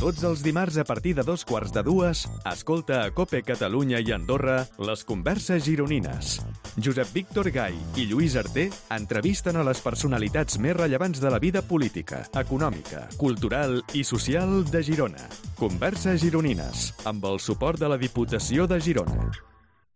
Tots els dimarts a partir de 2:15, escolta a COPE Catalunya i Andorra les converses gironines. Josep Víctor Gai i Lluís Arter entrevisten a les personalitats més rellevants de la vida política, econòmica, cultural i social de Girona. Converses gironines, amb el suport de la Diputació de Girona.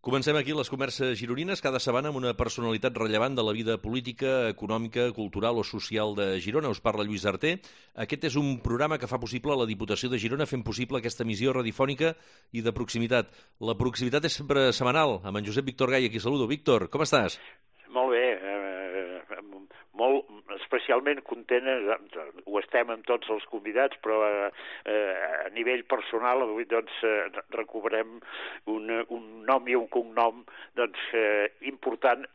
Comencem aquí les converses gironines, cada setmana amb una personalitat rellevant de la vida política, econòmica, cultural o social de Girona. Us parla Lluís Arter. Aquest és un programa que fa possible la Diputació de Girona, fent possible aquesta emissió radiofònica i de proximitat. La proximitat és sempre setmanal, amb en Josep Víctor Gai, aquí saludo. Víctor, com estàs? Molt bé, molt especialment content, ho estem amb tots els convidats, però a nivell personal avui recuperem un nom i un cognom important,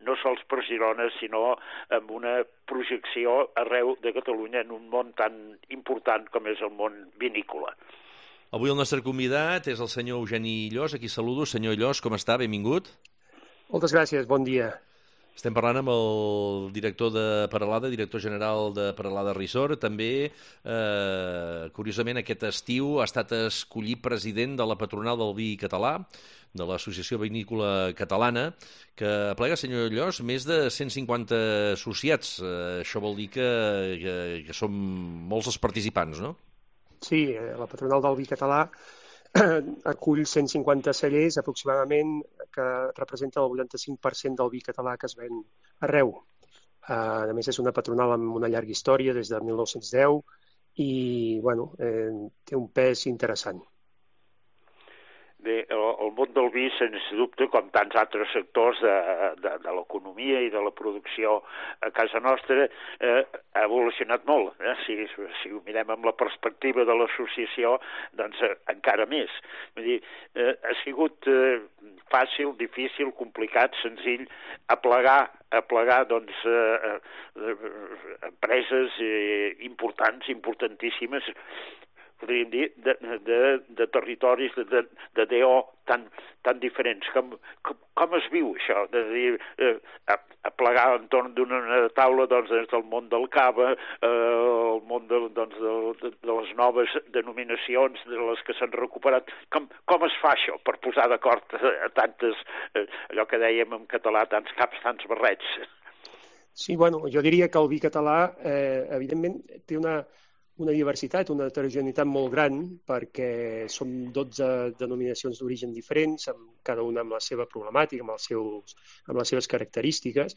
no sols per Girona, sinó amb una projecció arreu de Catalunya en un món tan important com és el món vinícola. Avui el nostre convidat és el senyor Eugeni Llos, aquí saludo. Senyor Llos, com està? Benvingut. Moltes gràcies, bon dia. Estem parlant amb el director de Peralada, director general de Peralada Resort. També, curiosament, aquest estiu ha estat escollit president de la patronal del vi català, de l'Associació Vinícola Catalana, que aplega, senyor Llos, més de 150 associats. Això vol dir que som molts els participants, no? Sí, la patronal del vi català acull 150 cellers aproximadament, que representa el 85% del vi català que es ven arreu. A més, és una patronal amb una llarga història des de 1910 i té un pes interessant. Bé, el món del vi, sens dubte, com tants altres sectors de l'economia i de la producció a casa nostra, ha evolucionat molt. Si ho mirem amb la perspectiva de l'associació, doncs encara més. Vull dir, ha sigut fàcil, difícil, complicat, senzill, aplegar empreses importants, importantíssimes, podríem dir, de territoris, de DO tan diferents. Com es viu això? De dir, aplegar entorn d'una taula des del món del cava, el món de les noves denominacions, de les que s'han recuperat. Com es fa això per posar d'acord a tantes, allò que dèiem en català, tants caps, tants barrets? Sí, jo diria que el vi català, evidentment, té una diversitat, una heterogeneïtat molt gran, perquè som 12 denominacions d'origen diferents, cada una amb la seva problemàtica, amb les seves característiques,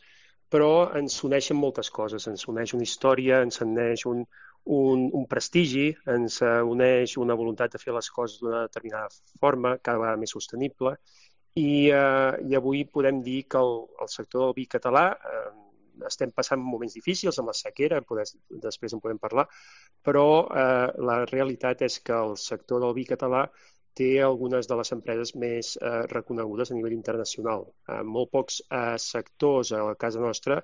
però ens uneixen moltes coses. Ens uneix una història, ens uneix un prestigi, ens uneix una voluntat de fer les coses d'una determinada forma, cada vegada més sostenible, i avui podem dir que el sector del vi català estem passant moments difícils amb la sequera, després en podem parlar, però la realitat és que el sector del vi català té algunes de les empreses més reconegudes a nivell internacional. Molt pocs sectors a casa nostra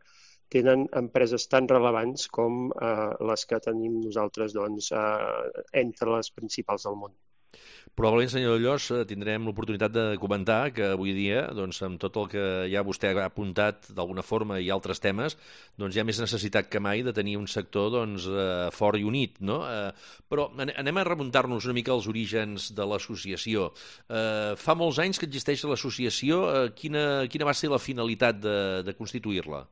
tenen empreses tan rellevants com les que tenim nosaltres entre les principals del món. Probablement, senyor Llos, tindrem l'oportunitat de comentar que avui dia, amb tot el que ja vostè ha apuntat d'alguna forma i altres temes, hi ha més necessitat que mai de tenir un sector fort i unit, no? Però anem a remuntar-nos una mica als orígens de l'associació. Fa molts anys que existeix l'associació. Quina va ser la finalitat de constituir-la?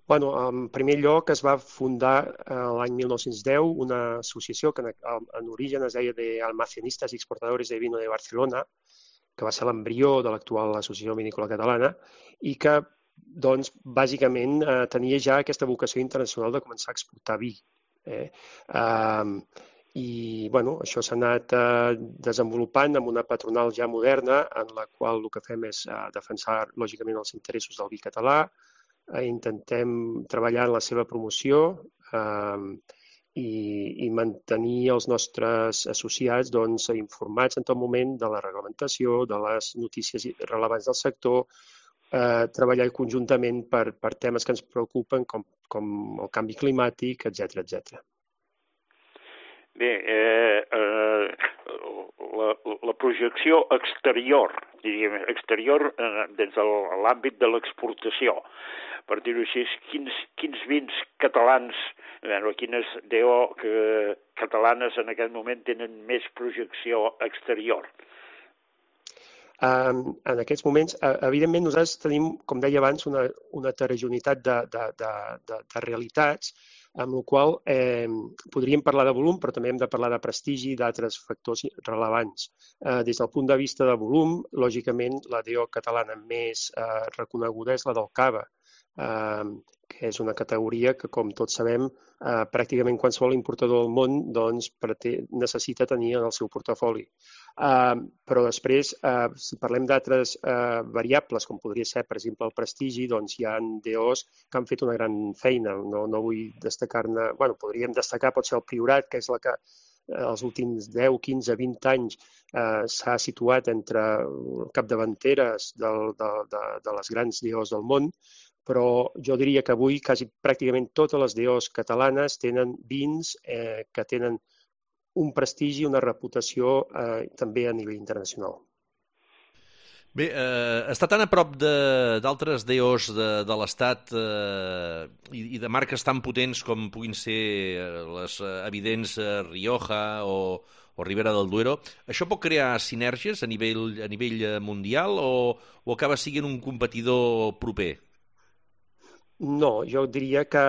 En primer lloc es va fundar l'any 1910 una associació que en origen es deia de Almacenistas y Exportadores de Vino de Barcelona, que va ser l'embrió de l'actual Associació Vinícola Catalana, i que, bàsicament tenia ja aquesta vocació internacional de començar a exportar vi. Això s'ha anat desenvolupant amb una patronal ja moderna, en la qual el que fem és defensar, lògicament, els interessos del vi català, intentem treballar en la seva promoció i mantenir els nostres associats informats en tot moment de la reglamentació, de les notícies rellevants del sector, treballar conjuntament per temes que ens preocupen com el canvi climàtic, etc. Bé, la projecció exterior, diríem, exterior des de l'àmbit de l'exportació. Per dir-ho així, quins vins catalans, quines DO catalanes en aquest moment tenen més projecció exterior? En aquests moments, evidentment, nosaltres tenim, com deia abans, una heterogeneïtat de realitats, amb la qual podríem parlar de volum, però també hem de parlar de prestigi i d'altres factors rellevants. Des del punt de vista de volum, lògicament, la DO catalana més reconeguda és la del Cava, que és una categoria que, com tots sabem, pràcticament qualsevol importador del món doncs, necessita tenir en el seu portafoli. Però després, si parlem d'altres variables, com podria ser, per exemple, el prestigi, doncs hi ha DOs que han fet una gran feina. No vull destacar-ne... Bueno, podríem destacar, pot ser el Priorat, que és la que els últims 10, 15, 20 anys s'ha situat entre capdavanteres de les grans DOs del món, però jo diria que avui quasi pràcticament totes les DOs catalanes tenen vins que tenen un prestigi, una reputació també a nivell internacional. Bé, està tan a prop d'altres DOs de l'Estat i de marques tan potents com puguin ser les evidents Rioja o Ribera del Duero, això pot crear sinergies a nivell mundial o acaba sent un competidor proper? No, jo diria que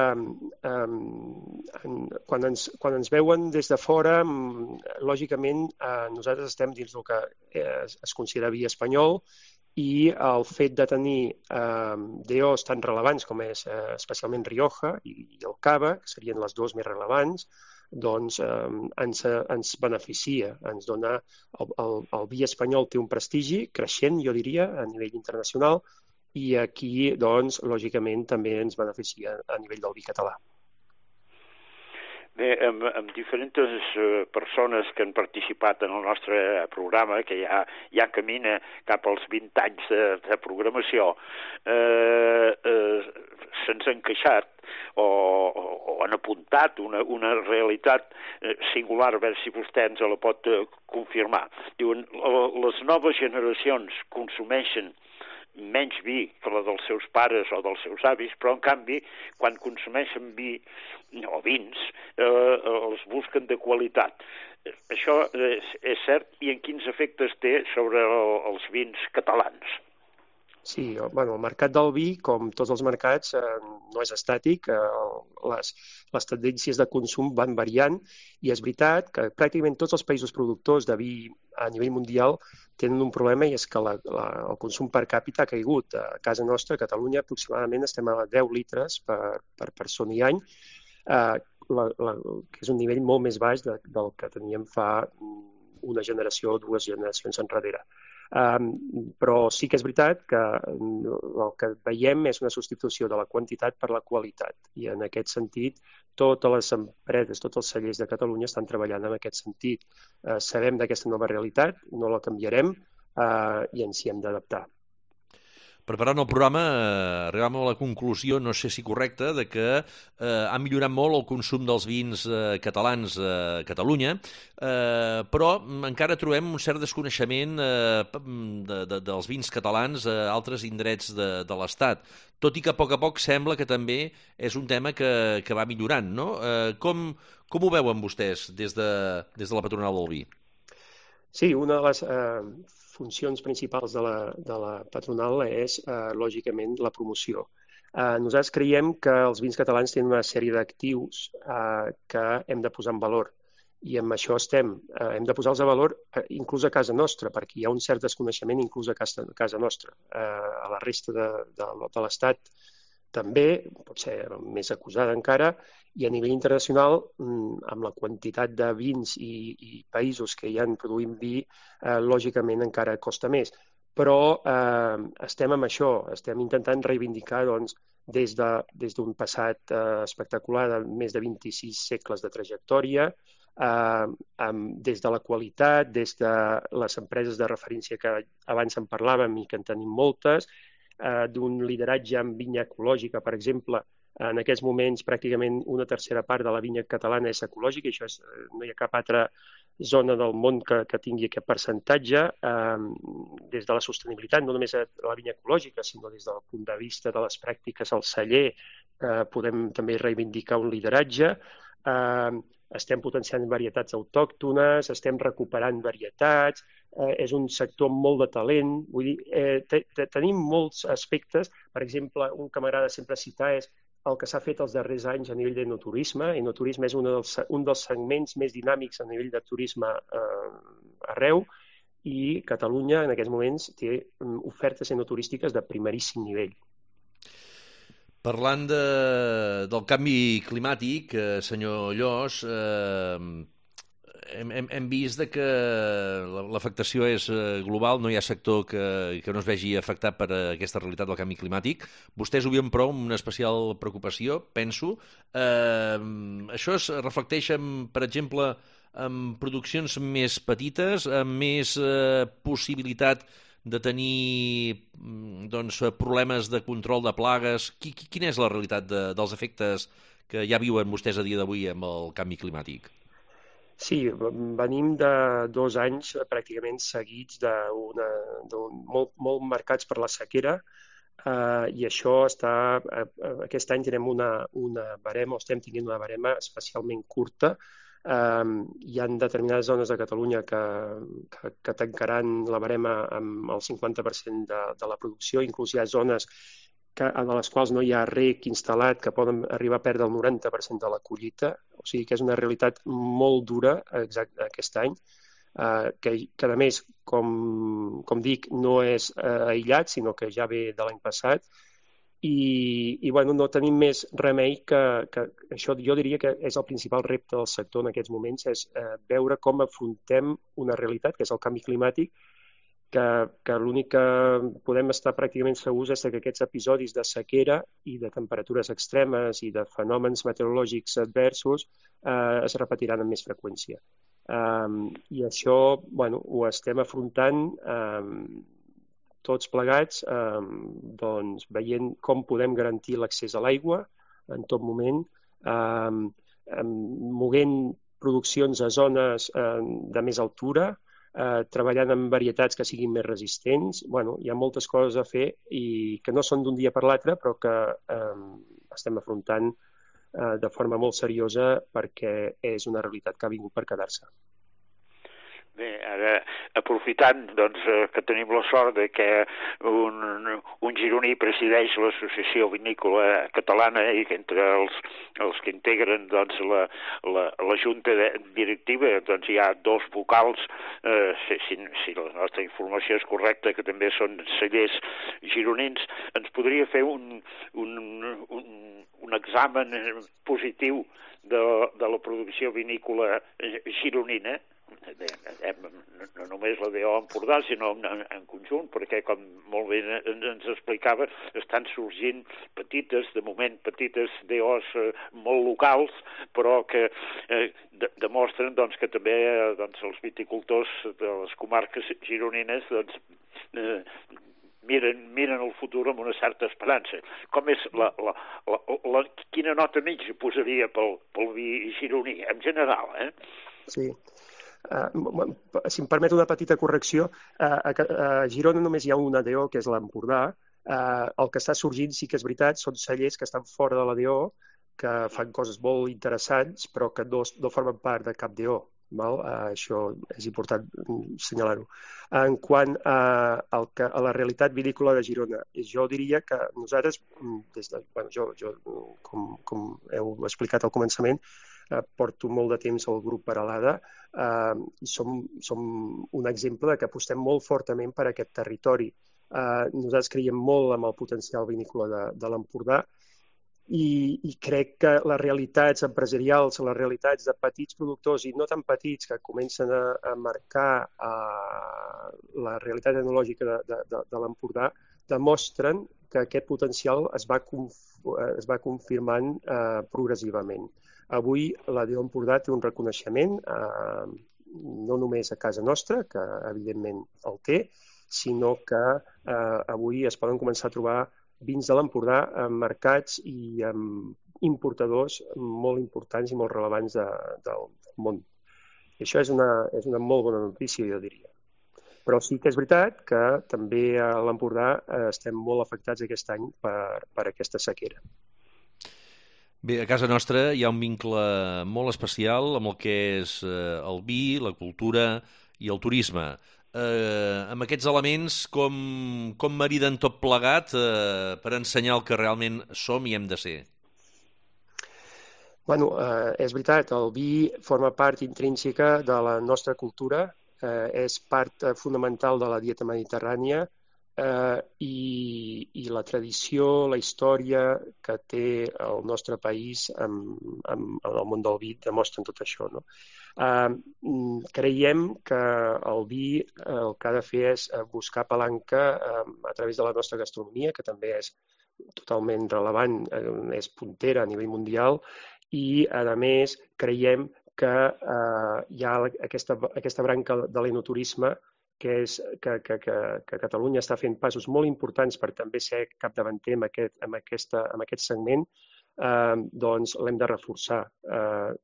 quan ens veuen des de fora, lògicament nosaltres estem dins del que es considera via espanyol i el fet de tenir DOs tan relevants com és especialment Rioja i el Cava, que serien les dues més rellevants, doncs ens beneficia, ens dona... El vi espanyol té un prestigi creixent, jo diria, a nivell internacional, i aquí, doncs, lògicament, també ens beneficia a nivell del vi català. Bé, amb diferents persones que han participat en el nostre programa, que ja camina cap als 20 anys de programació, se'ns han queixat o han apuntat una realitat singular, a veure si vostè ens la pot confirmar. Diuen, les noves generacions consumeixen menys vi que la dels seus pares o dels seus avis, però en canvi, quan consumeixen vi o vins, els busquen de qualitat. Això és cert, i en quins efectes té sobre els vins catalans? Sí, bueno, el mercat del vi, com tots els mercats, no és estàtic, les tendències de consum van variant i és veritat que pràcticament tots els països productors de vi a nivell mundial tenen un problema i és que el consum per càpita ha caigut. A casa nostra, a Catalunya, aproximadament estem a 10 litres per persona i any, que és un nivell molt més baix del que teníem fa una generació o dues generacions enrere. Però sí que és veritat que el que veiem és una substitució de la quantitat per la qualitat i en aquest sentit totes les empreses, tots els cellers de Catalunya estan treballant en aquest sentit. Sabem d'aquesta nova realitat, no la canviarem i ens hi hem d'adaptar. Preparant el programa, arribàvem a la conclusió, no sé si correcta, de que ha millorat molt el consum dels vins catalans a Catalunya, però encara trobem un cert desconeixement dels vins catalans a altres indrets de l'Estat, tot i que a poc sembla que també és un tema que va millorant, no? Com ho veuen vostès des de la patronal del vi? Sí, una de les funcions principals de la patronal és, lògicament, la promoció. Nosaltres creiem que els vins catalans tenen una sèrie d'actius que hem de posar en valor i amb això estem. Hem de posar-los a valor inclús a casa nostra, perquè hi ha un cert desconeixement inclús a casa nostra. A la resta de l'Estat també, pot ser més acusada encara, i a nivell internacional, amb la quantitat de vins i països que hi han produint vi, lògicament encara costa més. Però estem amb això, estem intentant reivindicar des d'un passat espectacular de més de 26 segles de trajectòria, des de la qualitat, des de les empreses de referència que abans en parlàvem i que en tenim moltes, d'un lideratge en vinya ecològica, per exemple. En aquests moments pràcticament una tercera part de la vinya catalana és ecològica i això no hi ha cap altre zona del món que tingui aquest percentatge, des de la sostenibilitat, no només a la vinya ecològica, sinó des del punt de vista de les pràctiques al celler, podem també reivindicar un lideratge. Estem potenciant varietats autòctones, estem recuperant varietats, és un sector amb molt de talent. Vull dir, tenim molts aspectes. Per exemple, un que m'agrada sempre citar és el que s'ha fet els darrers anys a nivell d'enoturisme. Enoturisme és un dels segments més dinàmics a nivell de turisme arreu, i Catalunya en aquests moments té ofertes enoturístiques de primeríssim nivell. Parlant del canvi climàtic, senyor Llos, hem vist que l'afectació és global, no hi ha sector que no es vegi afectat per aquesta realitat del canvi climàtic. Vostès ho veuen, però, amb una especial preocupació, penso. Això es reflecteix, per exemple, en produccions més petites, amb més possibilitat de tenir problemes de control de plagues. Quina és la realitat dels efectes que ja viuen vostès a dia d'avui amb el canvi climàtic? Sí, venim de 2 anys pràcticament seguits molt marcats per la sequera, i això aquest any tenim una barema, o estem tenint una barema especialment curta. Hi ha determinades zones de Catalunya que tancaran la barema amb el 50% de la producció, inclús hi ha zones en les quals no hi ha rec instal·lat, que poden arribar a perdre el 90% de la collita. O sigui que és una realitat molt dura aquest any, que a més, com dic, no és aïllat, sinó que ja ve de l'any passat. I no tenim més remei que això. Jo diria que és el principal repte del sector en aquests moments, és veure com afrontem una realitat, que és el canvi climàtic, que l'únic que podem estar pràcticament segurs és que aquests episodis de sequera i de temperatures extremes i de fenòmens meteorològics adversos es repetiran amb més freqüència. I això ho estem afrontant tots plegats, veient com podem garantir l'accés a l'aigua en tot moment, movent produccions a zones de més altura, treballant amb varietats que siguin més resistents. Hi ha moltes coses a fer i que no són d'un dia per l'altre, però que estem afrontant de forma molt seriosa perquè és una realitat que ha vingut per quedar-se. Bé, ara, aprofitant que tenim la sort de que un gironí presideix l'Associació Vinícola Catalana i que entre els que integren la junta directiva hi ha 2 vocals, si la nostra informació és correcta, que també són cellers gironins, ens podria fer un examen positiu de la producció vinícola gironina, no només la DO Empordà, sinó en conjunt, perquè, com molt bé ens explicava, estan sorgint de moment petites DOs molt locals, però que demostren que també els viticultors de les comarques gironines miren el futur amb una certa esperança. Com és quina nota mitja posaria pel vi gironí, en general, Sí. Si em permet una petita correcció, a Girona només hi ha una DO, que és l'Empordà. El que està sorgint, sí que és veritat, són cellers que estan fora de la DO, que fan coses molt interessants, però que no formen part de cap DO. Això és important assenyalar-ho. En quant a la realitat vinícola de Girona, jo diria que nosaltres, com heu explicat al començament, porto molt de temps al grup Peralada i som un exemple de que apostem molt fortament per aquest territori. Nosaltres creiem molt en el potencial vinícola de l'Empordà i crec que les realitats empresarials, les realitats de petits productors i no tan petits que comencen a marcar la realitat etnològica de l'Empordà demostren que aquest potencial es va confirmant progressivament. Avui la DO Empordà té un reconeixement, no només a casa nostra, que evidentment el té, sinó que avui es poden començar a trobar vins de l'Empordà en mercats i amb importadors molt importants i molt relevants del món. I això és una molt bona notícia, jo diria. Però sí que és veritat que també a l'Empordà estem molt afectats aquest any per aquesta sequera. Bé, a casa nostra hi ha un vincle molt especial amb el que és el vi, la cultura i el turisme. Amb aquests elements, com mariden tot plegat per ensenyar el que realment som i hem de ser? Bueno, és veritat, el vi forma part intrínseca de la nostra cultura, és part fonamental de la dieta mediterrània i la tradició, la història que té el nostre país en el món del vi demostren tot això, no? Creiem que el vi el que ha de fer és buscar palanca a través de la nostra gastronomia, que també és totalment relevant, és puntera a nivell mundial, i, a més, creiem que hi ha aquesta branca de l'enoturisme que Catalunya està fent passos molt importants per també ser capdavanter en aquest segment, doncs l'hem de reforçar.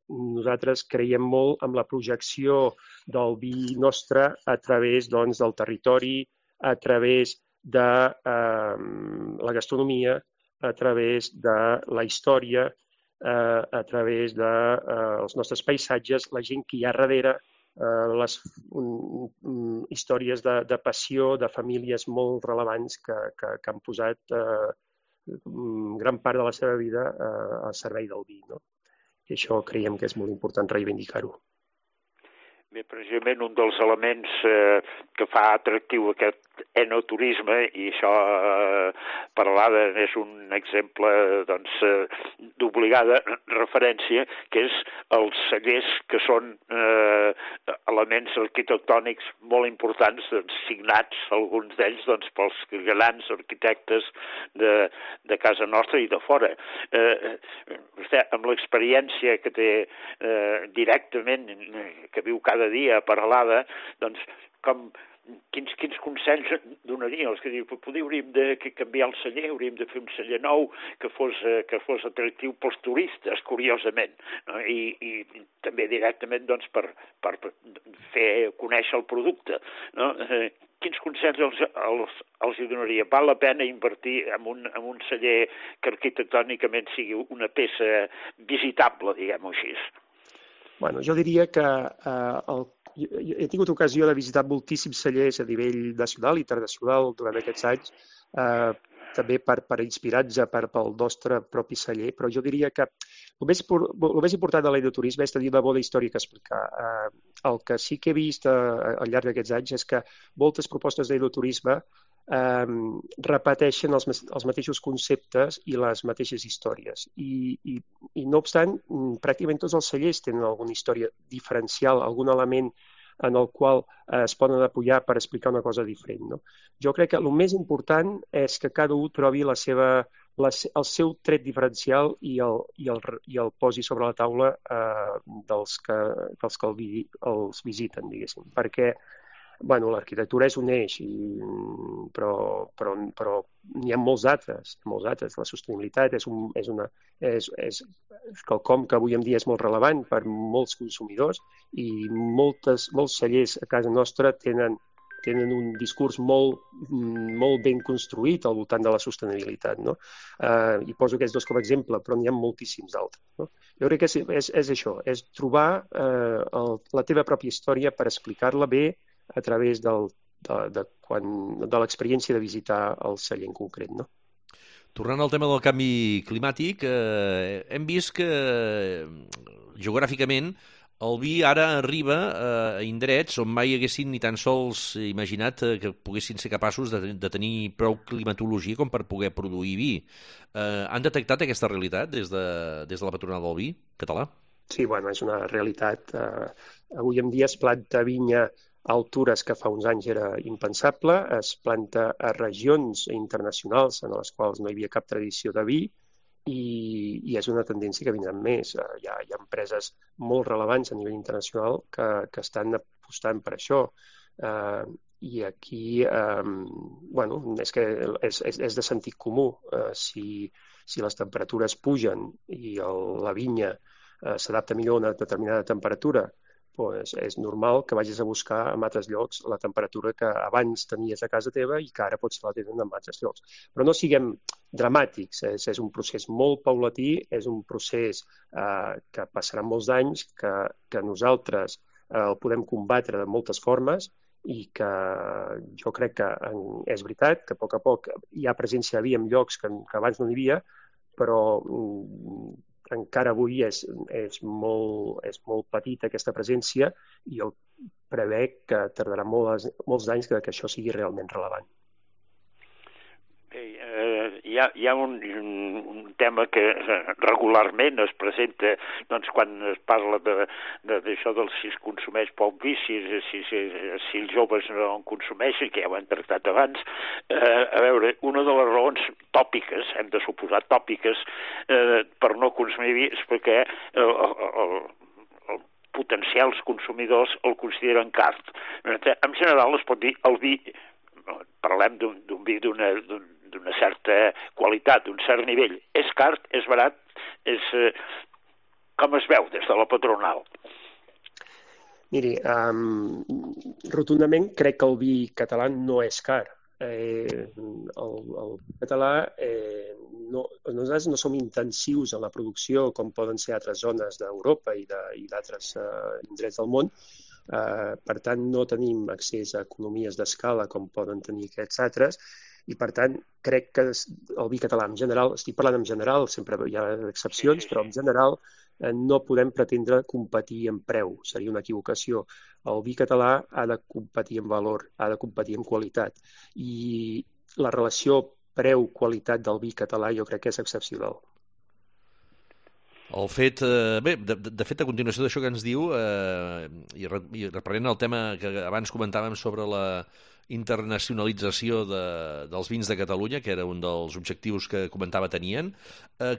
Nosaltres creiem molt en la projecció del vi nostre a través del territori, a través de la gastronomia, a través de la història, a través dels nostres paisatges, la gent que hi ha darrere, les històries de passió de famílies molt relevants que han posat gran part de la seva vida al servei del vi, no? I això creiem que és molt important reivindicar-ho. Bé, precisament un dels elements que fa atractiu aquest enoturisme, i això per l'ADA és un exemple d'obligada referència, que és els cellers, que són elements arquitectònics molt importants, signats, alguns d'ells, pels grans arquitectes de casa nostra i de fora. Vostè, amb l'experiència que té directament, que viu cada dia a Peralada, quins consells donaria? Els que diu, potser hauríem de canviar el celler, hauríem de fer un celler nou que fos atractiu pels turistes, curiosament, no? I també directament per fer conèixer el producte, no? Quins consells els donaria? Val la pena invertir en un celler que arquitectònicament sigui una peça visitable, diguem-ho així? Bueno, jo diria que he tingut ocasió de visitar moltíssims cellers a nivell nacional i internacional durant aquests anys, també per inspirar-nos pel nostre propi celler, però jo diria que el més important de l'enoturisme és tenir una bona història que explicar. El que sí que he vist al llarg d'aquests anys és que moltes propostes d'enoturisme repeteixen els mateixos conceptes i les mateixes històries. I no obstant, pràcticament tots els cellers tenen alguna història diferencial, algun element en el qual es poden apoyar per explicar una cosa diferent, no? Jo crec que el més important és que cada un trobi el seu tret diferencial i el posi sobre la taula dels que els visiten, diguéssim, perquè l'arquitectura és un eix, però n'hi ha molts altres. La sostenibilitat és quelcom que avui en dia és molt relevant per molts consumidors i molts cellers a casa nostra tenen un discurs molt ben construït al voltant de la sostenibilitat, no? I poso aquests dos com a exemple, però n'hi ha moltíssims altres, no? Jo crec que és això, és trobar la teva pròpia història per explicar-la bé a través de l'experiència de visitar el celler en concret, no? Tornant al tema del canvi climàtic, hem vist que geogràficament el vi ara arriba a indrets on mai haguessin ni tan sols imaginat que poguessin ser capaços de tenir prou climatologia com per poder produir vi. Han detectat aquesta realitat des de la patronal del vi català? Sí, és una realitat. Avui en dia es planta vinya a altures que fa uns anys era impensable, es planta a regions internacionals en les quals no hi havia cap tradició de vi i és una tendència que vindran més. Hi ha empreses molt relevants a nivell internacional que estan apostant per això. I aquí, és que és de sentit comú. Si les temperatures pugen i la vinya s'adapta millor a una determinada temperatura doncs és normal que vagis a buscar en altres llocs la temperatura que abans tenies a casa teva i que ara pots la tenir en altres llocs. Però no siguem dramàtics, és un procés molt paulatí, és un procés que passarà molts anys, que nosaltres el podem combatre de moltes formes i que jo crec que és veritat que a poc hi ha presència de vi en llocs que abans no n'hi havia, però encara avui és molt petita aquesta presència i jo prevec que tardarà molts anys que això sigui realment relevant. Hi ha un tema que regularment es presenta quan es parla d'això del si es consumeix poc vi, si els joves no en consumeixen, que ja ho hem tractat abans. A veure, una de les raons tòpiques, hem de suposar tòpiques, per no consumir vi és perquè potencials consumidors el consideren car. En general es pot dir el vi, parlem d'un vi d'una certa qualitat, d'un cert nivell. És car, és barat, com es veu des de la patronal? Miri, rotundament crec que el vi català no és car. El català, nosaltres no som intensius en la producció com poden ser altres zones d'Europa i d'altres indrets del món. Per tant, no tenim accés a economies d'escala com poden tenir aquests altres i, per tant, crec que el vi català en general, estic parlant en general, sempre hi ha excepcions, però en general no podem pretendre competir en preu, seria una equivocació. El vi català ha de competir en valor, ha de competir en qualitat i la relació preu-qualitat del vi català jo crec que és excepcional. El fet, de fet, a continuació d'això que ens diu, i reprenent el tema que abans comentàvem sobre la internacionalització dels vins de Catalunya, que era un dels objectius que comentava tenien,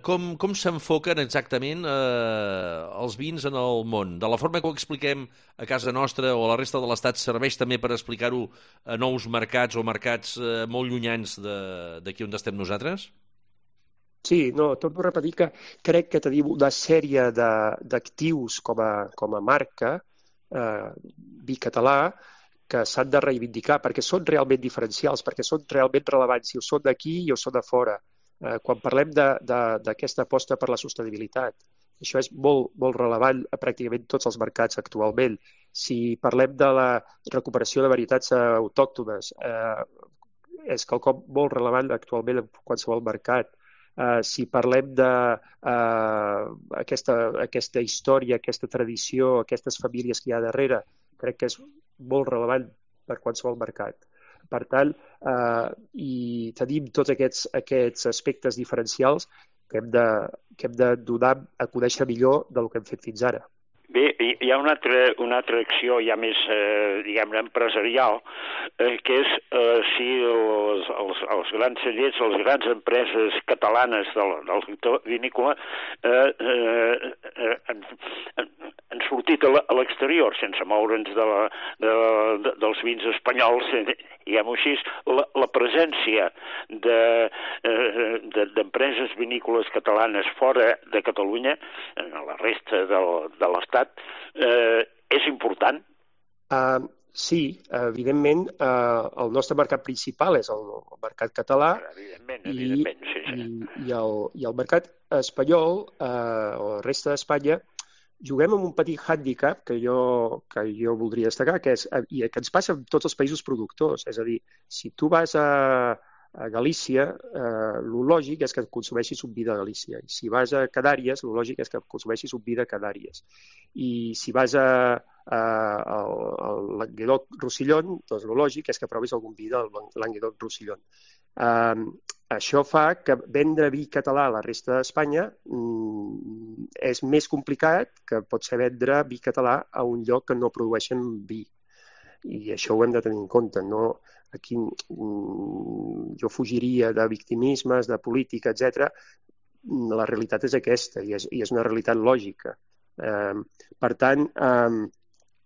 com s'enfoquen exactament els vins en el món? De la forma que ho expliquem a casa nostra o a la resta de l'Estat serveix també per explicar-ho a nous mercats o mercats molt llunyans d'aquí on estem nosaltres? Sí, torno a repetir que crec que tenim una sèrie d'actius com a marca, vi català, que s'han de reivindicar perquè són realment diferencials, perquè són realment relevants, si ho són d'aquí i ho són de fora. Quan parlem d'aquesta aposta per la sostenibilitat, això és molt, molt relevant a pràcticament tots els mercats actualment. Si parlem de la recuperació de varietats autòctones, és quelcom molt relevant actualment en qualsevol mercat. Si parlem d'aquesta història, aquesta tradició, aquestes famílies que hi ha darrere, crec que és molt relevant per qualsevol mercat. Per tant, i tenim tots aquests aspectes diferencials que hem de donar a conèixer millor del que hem fet fins ara. Bé, hi ha una altra acció ja més, diguem-ne, empresarial, que és si els grans cellers, les grans empreses catalanes del sector vinícola han sortit a l'exterior, sense moure'ns dels vins espanyols, diguem-ho així, la presència d'empreses vinícoles catalanes fora de Catalunya, en la resta de l'Estat, és important? Sí, evidentment, el nostre mercat principal és el mercat català. Evidentment, sí. I el mercat espanyol, o la resta d'Espanya, juguem amb un petit hàndicap que jo voldria destacar, que ens passa en tots els països productors. És a dir, si tu vas a Galícia, el lògic és que consumeixis un vi de Galícia. I si vas a Canàries, el lògic és que consumeixis un vi de Canàries. I si vas al Languedoc-Roussillon, doncs el lògic és que provis algun vi del Languedoc-Roussillon. Això fa que vendre vi català a la resta d'Espanya és més complicat que pot ser vendre vi català a un lloc que no produeixen vi. I això ho hem de tenir en compte. Aquí jo fugiria de victimismes, de política, etc. La realitat és aquesta i és una realitat lògica. Per tant,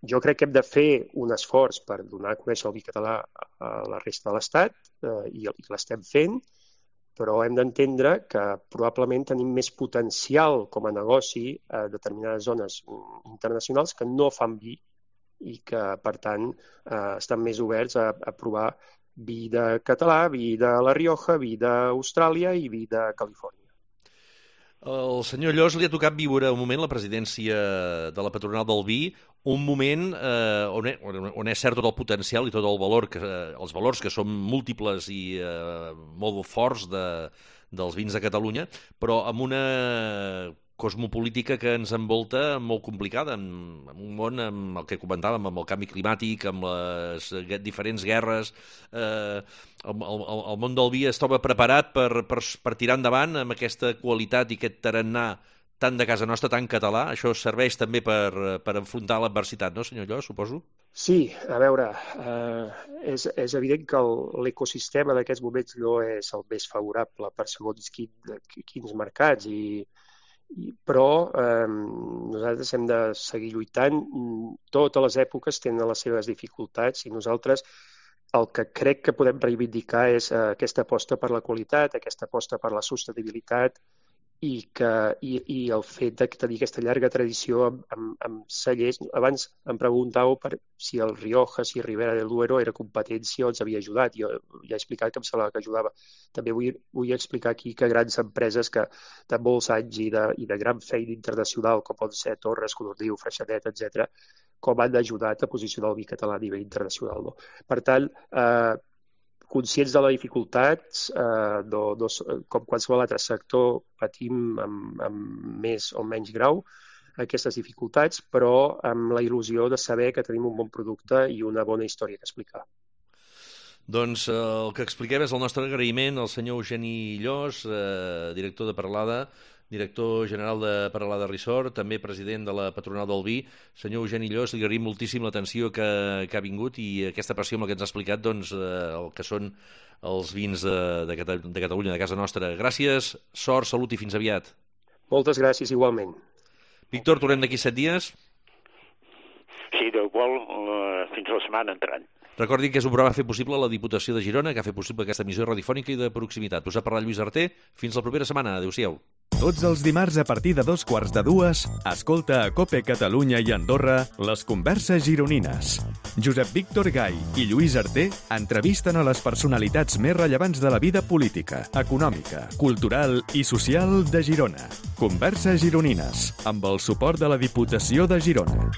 jo crec que hem de fer un esforç per donar a conèixer el vi català a la resta de l'Estat i l'estem fent, però hem d'entendre que probablement tenim més potencial com a negoci a determinades zones internacionals que no fan vi i que, per tant, estan més oberts a provar vi de català, vi de La Rioja, vi d'Austràlia i vi de Califòrnia. El senyor Llos li ha tocat viure un moment la presidència de la patronal del vi, un moment on és cert tot el potencial i tot el valor, els valors que són múltiples i molt forts dels vins de Catalunya, però amb una cosmopolítica que ens envolta molt complicada, en un món amb el que comentàvem, amb el canvi climàtic, amb les diferents guerres. El món del vi es troba preparat per tirar endavant amb aquesta qualitat i aquest tarannà tant de casa nostra, tan català. Això serveix també per enfrontar l'adversitat, no, senyor Llos, suposo? Sí, a veure, és evident que l'ecosistema d'aquests moments no és el més favorable per segons quins mercats, però nosaltres hem de seguir lluitant. Totes les èpoques tenen les seves dificultats i nosaltres el que crec que podem reivindicar és aquesta aposta per la qualitat, aquesta aposta per la sostenibilitat i el fet de tenir aquesta llarga tradició amb cellers. Abans em preguntàveu si el Rioja, si Ribera del Duero era competència o ens havia ajudat. Jo ja he explicat que em semblava que ajudava. També vull explicar aquí que grans empreses que de molts anys i de gran feina internacional, com poden ser Torres, Codorniu, Freixenet, etc., com han ajudat a posicionar el vi català a nivell internacional. No? Per tant, conscients de les dificultats, com qualsevol altre sector, patim amb més o menys grau aquestes dificultats, però amb la il·lusió de saber que tenim un bon producte i una bona història que explicar. Doncs el que expliquem és el nostre agraïment al senyor Eugeni Llos, director de Peralada, director general de Peralada Resort, també president de la patronal del vi. Senyor Eugeni Llos, li agraïm moltíssim l'atenció que ha vingut i aquesta passió amb la que ens ha explicat el que són els vins de Catalunya, de casa nostra. Gràcies, sort, salut i fins aviat. Moltes gràcies, igualment. Víctor, tornem d'aquí 7 dies? Sí, d'igual fins la setmana entrant. Recordin que és un programa fet possible a la Diputació de Girona, que ha fet possible aquesta emissió radiofònica i de proximitat. Us ha parlat Lluís Arter. Fins la propera setmana. Adéu-siau. Tots els dimarts a partir de 2:15, escolta a COPE Catalunya i Andorra les converses gironines. Josep Víctor Gai i Lluís Arter entrevisten a les personalitats més rellevants de la vida política, econòmica, cultural i social de Girona. Converses gironines, amb el suport de la Diputació de Girona.